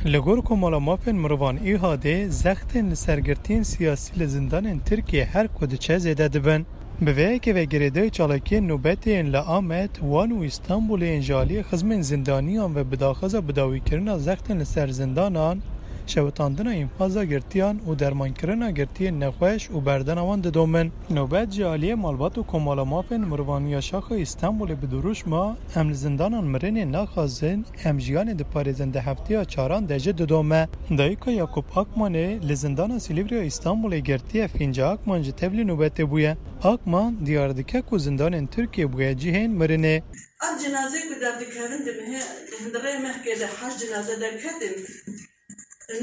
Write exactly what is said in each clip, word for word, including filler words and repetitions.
Li gor Komala Mafên Mirovan ÎHDê, zextên li ser girtiyên siyasî li zindanên Tirkiyê her ku diçe zêde dibin. Bi vê yekê ve girêdayî çalakiyên nobetê yên li Amed, Wan û Îstanbulê yên ji aliyê xizmên zindaniyan ve bi daxwaza bidawîkirina zextên li ser zindanan, şewitandina înfaza girtiyan û dermankirina girtiyên nexweş û berdana wan didomin. Nobet ji aliyê Malbat û Komala Mafên Mirovan ya Şaxa Îstanbulê bi dirûşma "Em li zindanan mirinê naxwazin, em jiyanê diparêzin" di hefteya çaran de jî didome. Dayika Yakup Akmanê li zindana Silivriya Îstanbulê girtiye, Fînca Akman jî tevlî nobetê bûye. Akman diyar dike ku zindanên Tirkiyê bûye cihên mirinê. Ev cenaze ku derdikevin di mehê, di hundirê mehkê de heşt cenaze derketin,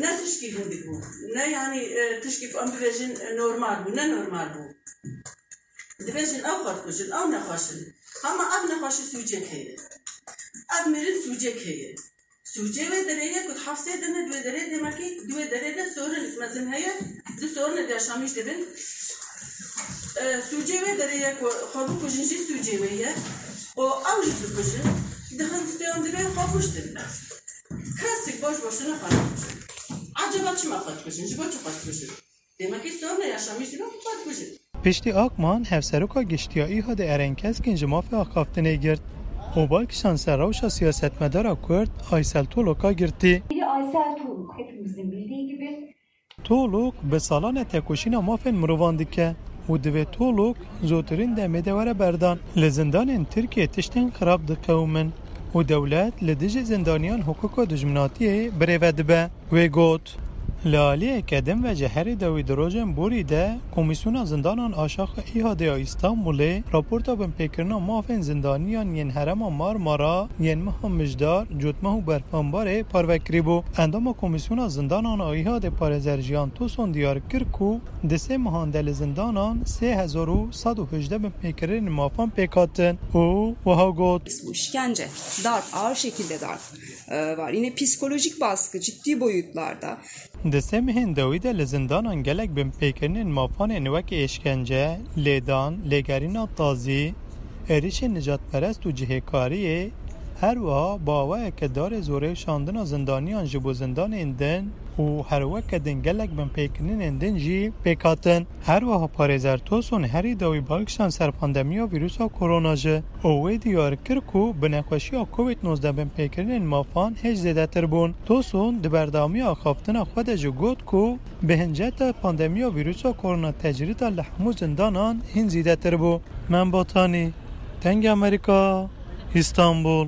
ne tişkî hindik bû, ne, yanî, e, tişkî ku em bibêjin, e, normal bû, ne normal bû. Dibêjin ew xwe dikujin, ew nexweş in. Hema ev nexweşî sûcek heye. Ev mirin sûcek heye. Sûcê wê derê ye ku di hefsê de ne, di wê derê, demekî di wê derê de sorinek mezin heye, di sorinek de yaşamîş dibin. E, sûcê wê derê ye ku xwe bikujin jî sûcê wê ye. Û ew jî dikujin, dixin stûyan dibê xwe kuştin. Kesik boş boşuna xwe dikujin. Eceba çima xwe dikujin? Ji bo çi xwe dikujin? Demekî sorna yaşamîş dibe, xwe dikujin. Piştî Akman, Hevseroka Giştî ya ÎHDê Eren Keskin ji mafê axaftinê girt û bal kişand ser rewşa siyasetmedara Kurd Aysel Tolok'a girtî. Biri Aysel Tolok, hepimizin bildiği gibi. Tolok bi salan e tekoşîna mafên mirovan dike û divê Tolok zûtirîn demê de were berdan. Li zindanên Tirkiyê tiştên xirab diqewimin û dewlet li dijî zindaniyan hiqûqa dijminatiyê birêve dibe. Wê got, li aliyeke din ve ji herî dawî di rojên borî de Komîsyona Zindanan a Şaxa ÎHDê ya Îstanbulê raporta binpêkirina mafên zindaniyan yên herêma Marmara yên meha Mijdar, Cotmeh û Berfanbarê parve kirîbû. Endama Komîsyona Zindanan a ÎHDê parêzer Jiyan Toson diyar kir ku di sê mehan de li zindanan sê hezar û sed û hejdeh binpêkirinên mafan pêk hatin û wiha got. Bu işkence, darp, ağır şekilde darp, e, var. Yine psikolojik baskı ciddi boyutlarda. Di sê mehên dawî de li zindanan gelek binpêkirinên mafan ên wek êşkence, lêdan, lêgerîna tazî, êrişên nijadperest û cihêkariyê, her wiha bi awayeke darê zorê şandina zindaniyan ji bo zindanên din û her weke din gelek binpêkirinên din jî pêk hatin. Her wiha parêzer Toson herî dawî bal kişand ser pandemiya vîrusa korona jî û wê diyar kir ku bi nexweşiya Covid nozdeh binpêkirinên mafan hêj zêdetir bûn. Toson di berdewamiya axaftina xwe de jî got ku bi hinceta pandemiya vîrusa korona tecrîda li hemû zindanan hîn zêdetir bû. Mem Batanî, Dengê Amerîka, Îstanbul.